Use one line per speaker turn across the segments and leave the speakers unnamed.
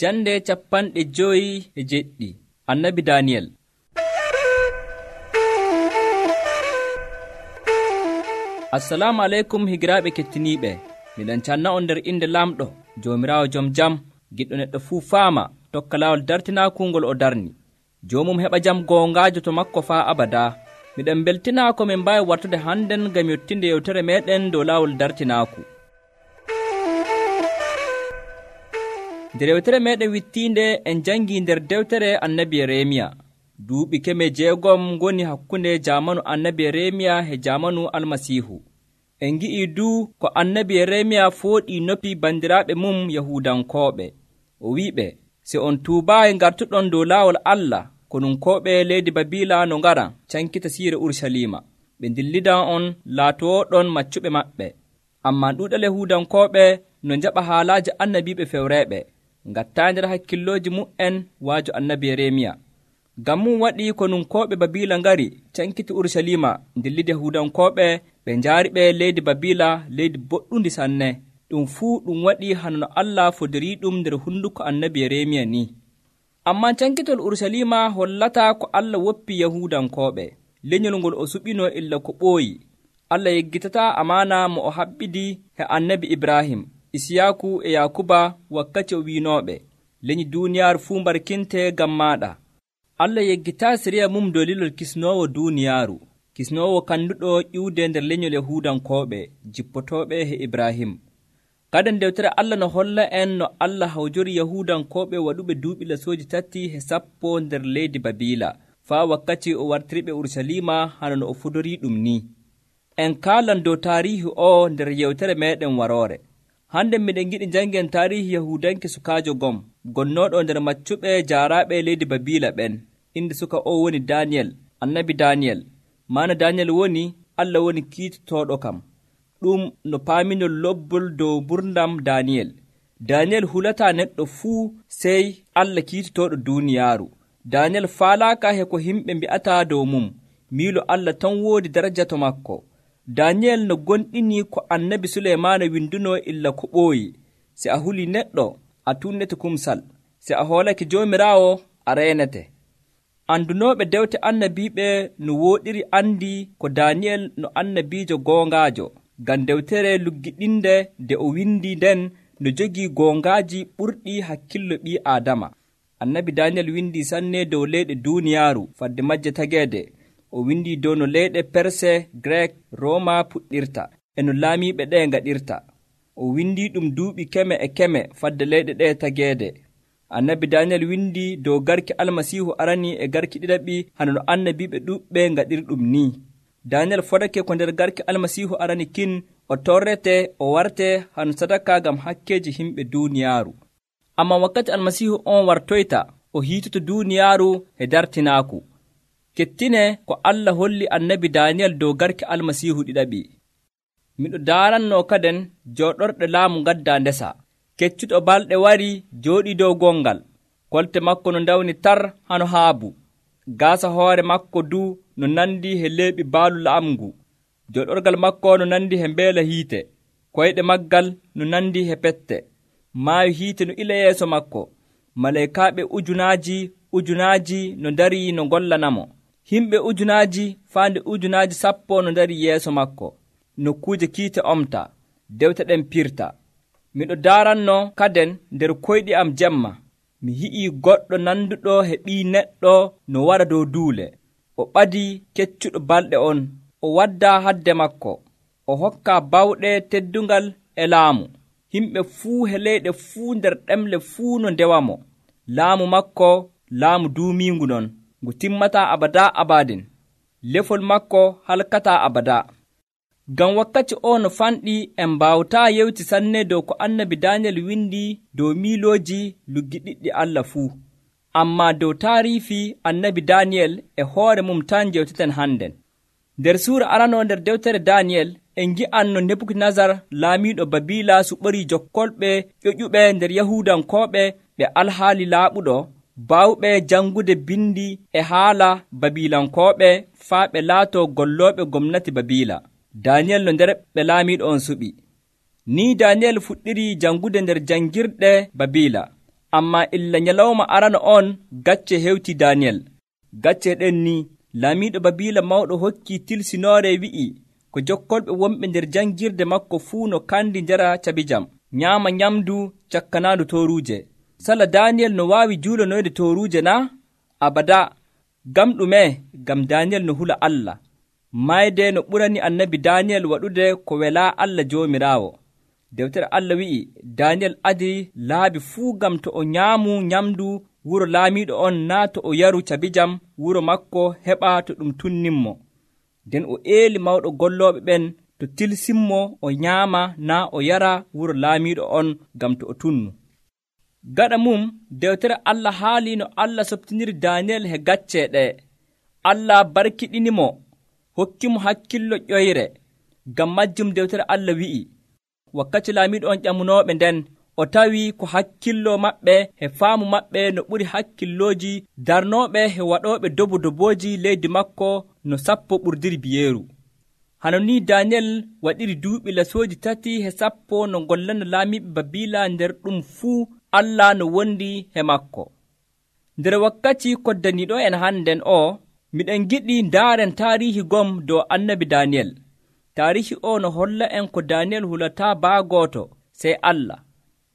Jande 57 Annabi Daniyel. Assalamu aleykum higiraaɓe kettiniiɓe. Miɗen canna on nder inde Lamɗo, Joomiraawo jom jam, giɗɗo neɗɗo fuu faama tokka laawol dartinaaku ngol o darni. Joomum heɓa jam goongaajo to makko faa abadaa. Miɗen beltinaa ko min mbaawi wartude hannden ngam yottinde yewtere meeɗen dow laawol dartinaaku. Nder yewtere meeɗen wittiinde en jangii nder dewtere Annabi Yeremiya. Duuɓi 6 ngoni hakkunde jaamanu Annabi Yeremiya e jaamanu Almasiihu. En ngi'ii duu ko Annabi Yeremiya fooɗii noppi bandiraaɓe mum Yahuudankooɓe. O wi'iɓe, si on tuubaayi ngartuɗon dow laawol Allah, konunkooɓe leydi Babiila no ngaran cankita siire Urusalima. Ɓe ndillidan on laatooɗon maccuɓe maɓɓe. Ammaa ɗuuɗal Yahuudankooɓe no njaɓa haalaaji annabiiɓe fewreeɓe. Ngattaa nder hakkillooji mu'en waajo Annabi Yeremiya. Ngam mum waɗi konunkooɓe Babiila ngari cankiti Urusalima ndillide Yahuudankooɓe ɓe njaariɓe leydi Babiila, leydi boɗɗundi sanne. Ɗum fuu ɗum waɗi hano no Allah fodoriiɗum nder hunduko Annabi Yeremiya ni. Ammaa cankitol Urusalima hollataa ko Allah woppi Yahuudankooɓe. Lenyol ngol o suɓinoo illa ko ɓooyi. Allah yeggitataa amaana mo o haɓɓidi he Annabi Ibrahim, Isiyaaku e Yaakuba wakkati o wiinooɓe, lenyi duuniyaaru fuu mbarkinte ngam maaɗa. Allah yeggitaa siriya mum dow lilol kisnoowo duuniyaaru, kisnoowo kanduɗo ƴiwde nder lenyol Yahuudankooɓe jippotooɓe he Ibrahim. Gaden dewtere Allah no holla en no Allah hawjori Yahuudankooɓe waɗuɓe duuɓi lasooji 3 nder leydi Babiila, faa wakkati o wartiriɓe Urusalima hano no o fodorii ɗum ni. En kaalan dow taariihi o nder yewtere meeɗen waroore. Hande miɗen giɗi jangen taarihi Yahuudanke sukaajo gom, gonnooɗo nder maccuɓe jaaraaɓe leydi Babiila ɓen. Inde suka o woni Daniyel, Annabi Daniyel. Maana Daniyel woni Allah woni kiitotooɗo kam. Ɗum no paaminol lobbol dow gurdam Daniyel. Daniyel hulataa neɗɗo fuu sey Allah kiitotooɗo duuniyaaru. Daniyel faalaaka he ko himɓe mbi'ataa dow mum. Miilo Allah tan woodi daraja to makko. Daniyel no gonɗini ko Annabi Suleymaana windunoo illa ko ɓooyi. Si a huli neɗɗo, a tunnete kumsal. Si a hoolake Joomiraawo, a reenete. Andunooɓe dewte annabiiɓe no wooɗiri andi ko Daniyel no annabiijo goongaajo. Ngam dewtere luggiɗinde nde o windi nden no jogii goongaaji ɓurɗi hakkillo ɓii Aadama. Annabi Daniyel windi sanne dow leyɗe duuniyaaru fadde majje tageede. O windi dow no leyɗe Perse, Grek, Rooma puɗɗirta e no laamiiɓe ɗe ngaɗirta. O windi ɗum duuɓi 100 fadde leyɗe ɗe tageede. Annabi Daniyel windi dow garki Almasiihu arani e garki ɗiɗaɓi hano no annabiiɓe ɗuɓɓe ngaɗiri ɗum ni. Daniyel fodake ko nder garki Almasiihu arani kin o torrete o warte hano sadaka ngam hakkeeji himɓe duuniyaaru. Ammaa wakkati Almasiihu on wartoyta o hiitoto duuniyaaru e dartinaaku. Kettine ko Allah holli Annabi Daniyel dow garki Almasiihu ɗiɗaɓi. Miɗo daarannoo kaden jooɗorɗe laamu ngaddaa ndesa. Keccuɗo balɗe wari jooɗii dow gongal. Kolte makko no ndawni tar hano haabu. Gaasa hoore makko du no nandi he leeɓi baalu la'amngu. Jooɗorgal makko no nandi he mbeela hiite. Koyɗe maggal no nandi he pette. Maayo hiite no ila yeeso makko. Maleykaaɓe ujunaaji no ndarii no gollanamo. Himɓe ujunaaji faande ujunaaji 10 no ndarii yeeso makko. Nokkuuje kiite omta, dewte ɗen pirta. Miɗo daaranno kaden nder koyɗi am jemma. Mi hi'ii goɗɗo nanduɗo he ɓii neɗɗo no wara dow duule. O ɓadii keccuɗo balɗe on. O waddaa hadde makko. O hokkaa bawɗe teddungal e laamu. Himɓe fuu he leyɗe fuu nder ɗemle fuu no ndewamo. Laamu makko laamu duumiingu non, ngu timmataa abadaa abadin. Lefol makko halkataa abadaa. Ngam wakkati o no fanɗi en mbaawataa yewti sanne dow ko Annabi Daniyel windi dow miilooji luggiɗiɗɗi Allah fuu. Ammaa dow taariifi Annabi Daniyel e hoore mum tan jewteten hannden. Nder suura aranoo nder dewtere Daniyel en ngi'an no Nebukadnesar laamiiɗo Babiila suɓorii jokkolɓe ƴoƴuɓe nder Yahuudankooɓe ɓe alhaali laaɓuɗo baawɓe jangude bindi e haala Babiilankooɓe faa ɓe laatoo gollooɓe gomnati Babiila. Daniyel no nder ɓe laamiiɗo on suɓi. Ni Daniyel fuɗɗiri jangude nder jangirɗe Babiila. Ammaa illa nyalawma arana on gacce hewti Daniyel. Gacce ɗen ni laamiiɗo Babiila mawɗo hokkii tilsinoore wi'i ko jokkolɓe wonɓe nder janngirde makko fuu no kandi njara cabijam, nyaama nyamdu cakkanaandu tooruuje. Sala Daniyel no waawi juulonoyde tooruuje naa? Abadaa. Ngam ɗume? Ngam Daniyel no hula Allah. Mayde no ɓurani annabi Daniyel waɗude ko welaa Allah Joomiraawo. Dewtere Allah wi'i Daniyel adi laabi fuu ngam to o nyaamu nyamdu wuro laamiiɗo on naa to o yaru cabijam wuro makko heɓa to ɗum tunninmo. Nden o eeli mawɗo gollooɓe ɓen to tilsinmo o nyaama naa o yara wuro laamiiɗo on ngam to o tunnu. Gaɗa mum dewtere Allah haali no Allah softiniri Daniyel he gacce ɗe. Allah barkiɗinimo hokkimo hakkillo ƴoyre. Ngam majjum dewtere Allah wi'i wakkati laamiiɗo on ƴamunooɓe nden o tawi ko hakkillo maɓɓe he faamu maɓɓe no ɓuri hakkillooji darnooɓe he waɗooɓe dobooji leydi makko no 10 ɓurdiri biyeeru. Hano ni Daniyel waɗiri duuɓi lasooji 3 he 10 no gollana laamiiɓe Babiila nder ɗum fuu Allah no wondi he makko. Nder wakkati koddaniiɗo en hannden o, miɗen giɗi ndaaren taarihi gom dow annabi Daniyel. Taarihi o no holla en ko Daniyel hulataa baagooto sey Allah.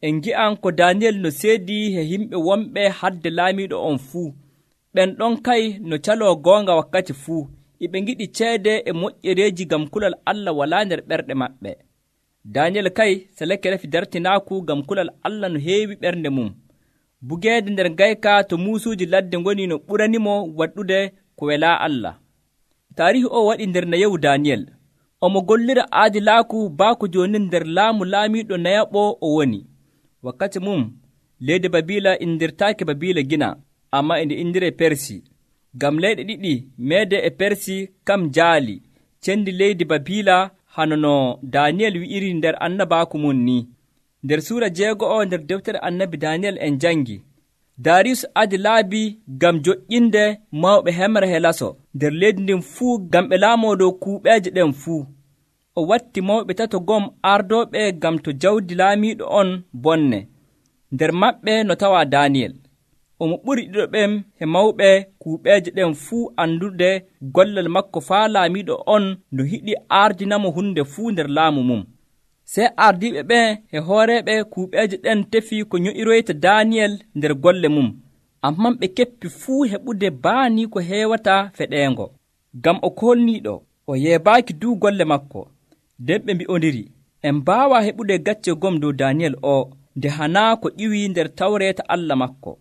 En ngi'an ko Daniyel no seedii he yimɓe wonɓe hadde laamiiɗo on fuu. Ɓen ɗon kay no caloo goonga wakkati fuu. Iɓe ngiɗi ceede e moƴƴereeji ngam kulal Allah walaa nder ɓerɗe maɓɓe. Daniyel kay seleke refi dartinaaku ngam kulal Allah no heewi ɓernde mum. Bugeede nder ngayka to muusuuji ladde ngoni no ɓuranimo waɗɗude ko welaa Allah. Taarihi o waɗi nder nayewu Daniyel. Omo gollira aadilaaku baako jooni nder laamu laamiiɗo nayaɓo o woni. Wakkati mum leydi Babiila indirtaake Babiila gina, ammaa indi indiree Persi. Ngam leyɗe ɗiɗi meede e Persi kam jaali cendi leydi Babiila hano no Daniyel wi'iri nder annabaaku mum ni. Nder suura 6 nder deftere annabi Daniyel en jangi Dariyus adi laabi ngam joƴƴinde mawɓe hemre he laso nder leydi ndin fuu ngam ɓe laamoo dow kuuɓeeje ɗen fuu. O watti mawɓe 3 gom ardooɓe ngam to jawdi laamiiɗo on bonne. Nder maɓɓe no tawaa Daniyel. Omo ɓuri ɗiɗo ɓen he mawɓe kuuɓeeje ɗen fuu andude gollal makko faa laamiiɗo on no hiɗi ardinamo hunde fuu nder laamu mum. Sey ardiiɓe ɓen he hooreeɓe kuuɓeeje ɗen tefi ko nyo'iroyta Daniyel nder golle mum, amman ɓe keppi fuu heɓude baanii ko heewata feɗeengo. Ngam o kolniiɗo, o yeebaaki duu golle makko. Nden ɓe mbi'ondiri, en mbaawaa heɓude gacce gom dow Daniyel o, nde hanaa ko ƴiwii nder tawreeta Allah makko.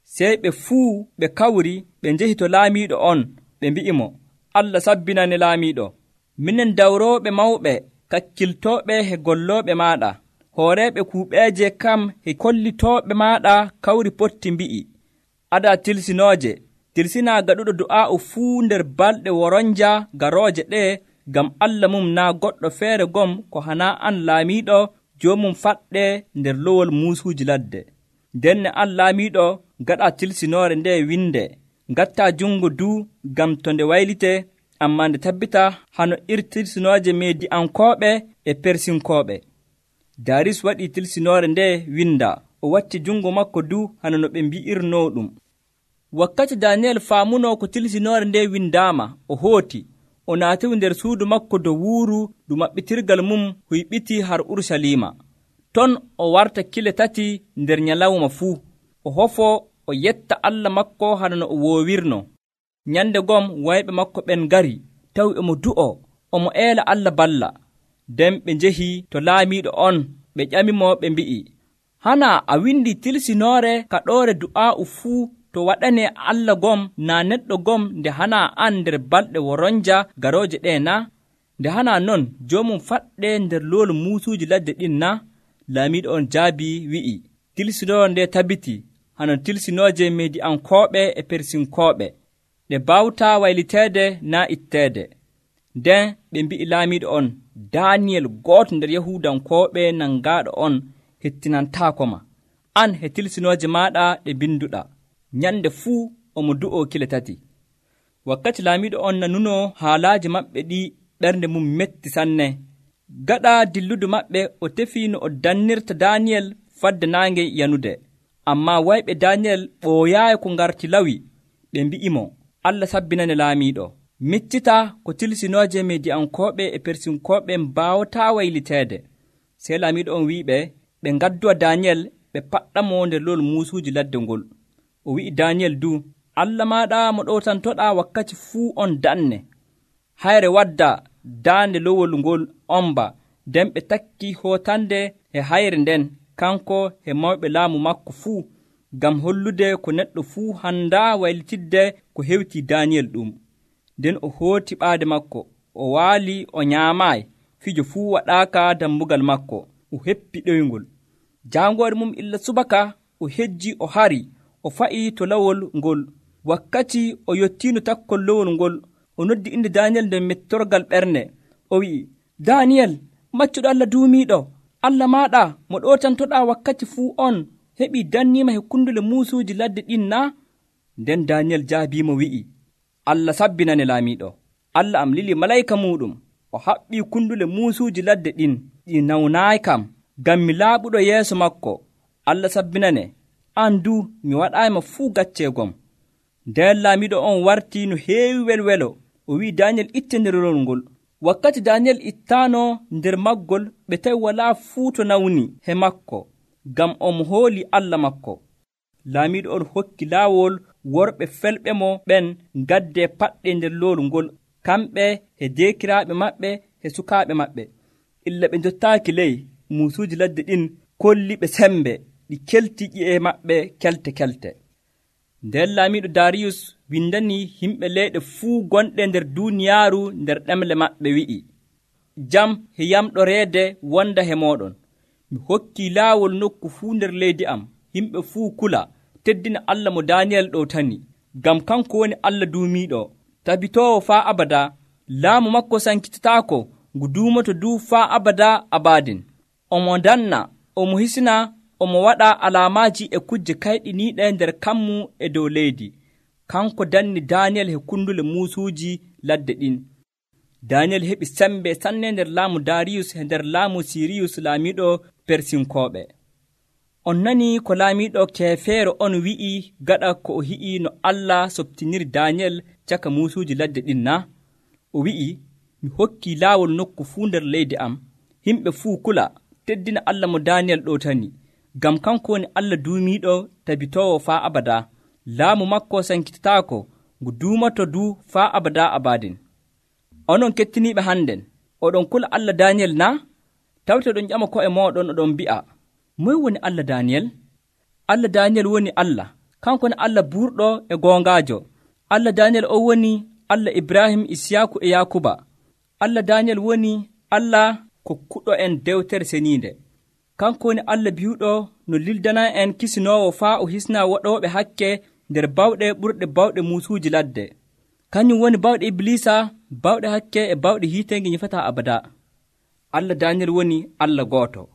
Sey ɓe fuu ɓe kawri ɓe njehi to laamiiɗo on, ɓe mbi'imo, Allah sabbinane laamiiɗo. Minen dawrooɓe mawɓe kakkiltooɓe he gollooɓe maaɗa, hooreeɓe kuuɓeeje kam he kollitooɓe maaɗa kawri potti mbi'i, adaa tilsinooje, tilsinaa gaɗuɗo du'aa'u fuu nder balɗe woronja garooje ɗe, ngam Allah mum naa goɗɗo feere gom ko hanaa an laamiiɗo joomum faɗɗe nder lowol muusuuji ladde. Ndenne an laamiiɗo gaɗaa tilsinoore nde winde, ngattaa junngo duu ngam to nde waylite, ammaa nde tabbita hano iri tilsinooje Mediyankooɓe e Persinkooɓe. Dariyus waɗii tilsinoore nde winda, o watti junngo makko duu hano no ɓe mbi'irnoo ɗum. Wakkati Daniyel faamunoo ko tilsinoore nde windaama, o hooti, o naatiwi nder suudu makko dow wuuru ɗum maɓɓitirgal mum huyɓiti har Urusalima. Ton o warta kile 3 nder nyalawma fuu, o hofoo o yetta Allah makko hano no o woowirno. Nyande gom wayɓe makko ɓen ngari, tawi omo du'o, omo eela Allah balla. Nden ɓe njehi to laamiiɗo on, ɓe ƴamimo ɓe mbi'i, hana a windi tilsinoore kaɗoore du'aa'u fuu to waɗane Allah gom naa neɗɗo gom nde hana an nder balɗe woronja garooje ɗe na? Nde hana non joomum faɗɗe nder loolu muusuuji ladde ɗin na? Laamiiɗo on jaabi wi'i, tilsinoore nde tabiti hano tilsinooje Mediyankooɓe e Persinkooɓe, ɗe baawtaa wayliteede naa itteede. Nden ɓe mbi'i laamiiɗo on, Daniyel gooto nder Yahuudankooɓe nangaaɗo on hettinantaako ma, an he tilsinooje maaɗa ɗe binduɗa. Nyande fuu omo du'oo kile 3. Wakkati laamiiɗo on nanunoo haalaaji maɓɓe ɗi ɓernde mum metti sanne. Gaɗa dilludu maɓɓe o tefii no o dannirta Daniyel fadde naange yanude. Ammaa wayɓe Daaniyel ɓooyaayi ko ngarti lawi. Ɓe mbi'imo, Allah sabbinane laamiiɗo. Miccita ko tilsinooje Midiyankooɓe e Persinkooɓe mbaawataa wayliteede. Sey laamiiɗo on wi'iɓe ɓe ngaddowa Daaniyel ɓe paɗɗamo nder lowol muusuuji ladde ngol. O wi'i Daaniyel du, Allah maaɗa mo ɗowtantoɗaa wakkati fuu on danne. Hayre wadda daande lowol ngol omba, nden ɓe takki hootande e hayre nden kanko e mawɓe laamu makko fuu, ngam hollude ko neɗɗo fuu handaa waylitidde ko hewti Daaniyel ɗum. Nden o hooti ɓaade makko, o waali o nyaamaayi, fijo fuu waɗaaka dammugal makko, o heppi ɗoyngol. Jaangoore mum illa subaka o hejji o hari, o fa'ii to lawol ngol. Wakkati o yottiino takkol lowol ngol, o noddi inde Daaniyel nder mettorgal ɓernde. O wi'i, Daaniyel, maccuɗo Allah duumiiɗo, Allah maaɗa mo ɗotantoɗaa wakkati fuu on heɓii danniima hekkundule muusuuji ladde ɗin naa? Nden Daaniyel jaabiimo wi'i, Allah sabbinane laamiiɗo. Allah am lili malayka muuɗum, o haɓɓii kundule muusuuji ladde ɗin, ɗi nawnaayi kam, ngam mi laaɓuɗo yeeso makko. Allah sabbinane, an du mi waɗaayima fuu gacceegom. Nden laamiiɗo on wartii no heewi welwelo. O wi'i Daaniyel itte nder lowol ngol. Wakkati Daaniyel ittaano nder maggol, ɓe tawi walaa fuu to nawni he makko, ngam omo hooli Allah makko. Laamiiɗo on hokki laawol worɓe felɓe mo ɓen ngaddee paɗɗe nder lowol ngol, kamɓe e deekiraaɓe maɓɓe e sukaaɓe maɓɓe. Illa ɓe njottaaki ley, muusuuji ladde ɗin kolliɓe sembe, ɗi kelti ƴi'e maɓɓe kelte-kelte. Nden laamiiɗo Daariyus windani yimɓe leyɗe fuu gonɗe nder duuniyaaru nder ɗemle maɓɓe wi'i, jam e yamɗoreede wonda he mooɗon. Mi hokkii laawol nokku fuu nder leydi am, yimɓe fuu kula, teddina Allah mo Daaniyel ɗowtani, ngam kanko woni Allah duumiiɗo, tabitoowo faa abada, laamu makko sankitataako, ngu duumoto du faa abada abadin. Omo danna, omo hisina, omo waɗa alaamaaji e kujje kayɗiniiɗe nder kammu e dow leydi. Kanko danni Daaniyel he kundule muusuuji ladde ɗin. Daaniyel heɓi sembe sanne nder laamu Daariyus e nder laamu Siriyus laamiiɗo Persinkooɓe. On nanii ko laamiiɗo keefeero on wi'i gaɗa ko o hi'i no Allah soɓtiniri Daaniyel caka muusuuji ladde ɗin na? O wi'i, mi hokkii laawol nokku fuu nder leydi am, yimɓe fuu kula, teddina Allah mo Daaniyel ɗowtani, ngam kanko woni Allah duumiiɗo tabitoowo faa abada, laamu makko sankitataako, ngu duumato du faa abada abadin. Onon kettiniiɓe hannden, oɗon kula Allah Daaniyel na? Tawte oɗon ƴama ko'e mooɗon oɗon mbi'a, moy woni Allah Daaniyel? Allah Daaniyel woni Allah, kanko woni Allah buurɗo e goongaajo. Allah Daaniyel o woni Allah Ibrahim, Isiyaaku e Yaakuba. Allah Daaniyel woni Allah kokkuɗo en dewtere seniinde. Kanko woni Allah bi'uɗo no lildana en kisinoowo faa o hisna waɗooɓe hakke nder bawɗe ɓurɗe bawɗe muusuuji ladde. Kañum woni bawɗe Iblisa, bawɗe hakke e bawɗe hiitenge ñifataa abada. Allah Daaniyel woni Allah gooto.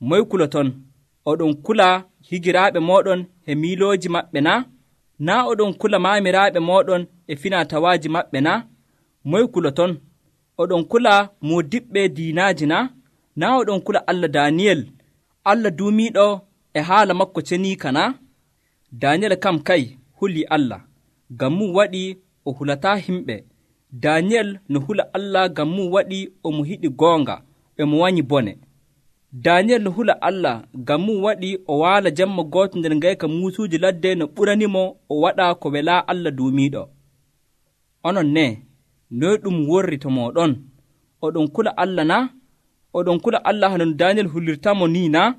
Moy kuloton? Oɗon kula higiraaɓe mooɗon e miilooji maɓɓe na? Naa oɗon kula maamiraaɓe mooɗon e finatawaaji maɓɓe na? Moy kuloton? Oɗon kula moodiɓɓe diinaaji na? Naa oɗon kula Allah Daaniyel, Allah duumiiɗo e haala makko ceniika na? Daaniyel kam kay hulii Allah, ngam mum waɗi o hulataa himɓe. Daaniyel no hula Allah ngam mum waɗi omo hiɗi goonga, e mo wanyi bone. Daaniyel no hula Allah ngam mum waɗi o waala jemma gooto nder ngayka muusuuji ladde no ɓuranimo o waɗa ko welaa Allah duumiiɗo. Onon ne, noy ɗum worri to mooɗon? Oɗon kula Allah na? Oɗon kula Allah hano Daaniyel hullirtamo ni na?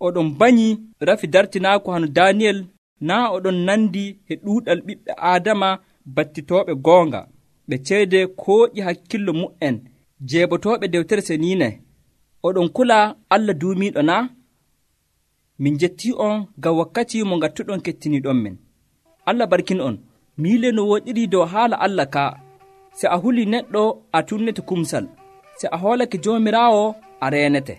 Oɗon banyi rafi dartinaako hano Daaniyel naa oɗon nandi e ɗuuɗal ɓiɓɓe Aadama battitooɓe goonga, ɓe ceede kooƴi hakkillo mu'en, jeebotooɓe dewtere seniine. Oɗon kula Allah duumiiɗo na? Min jettii on ngam wakkati mo ngattuɗon kettiniiɗon men. Allah barkin on, miile no woɗiri dow haala Allah ka. Se a hulii neɗɗo a tunnete kumsal, se a hoolake Joomiraawo a reenete.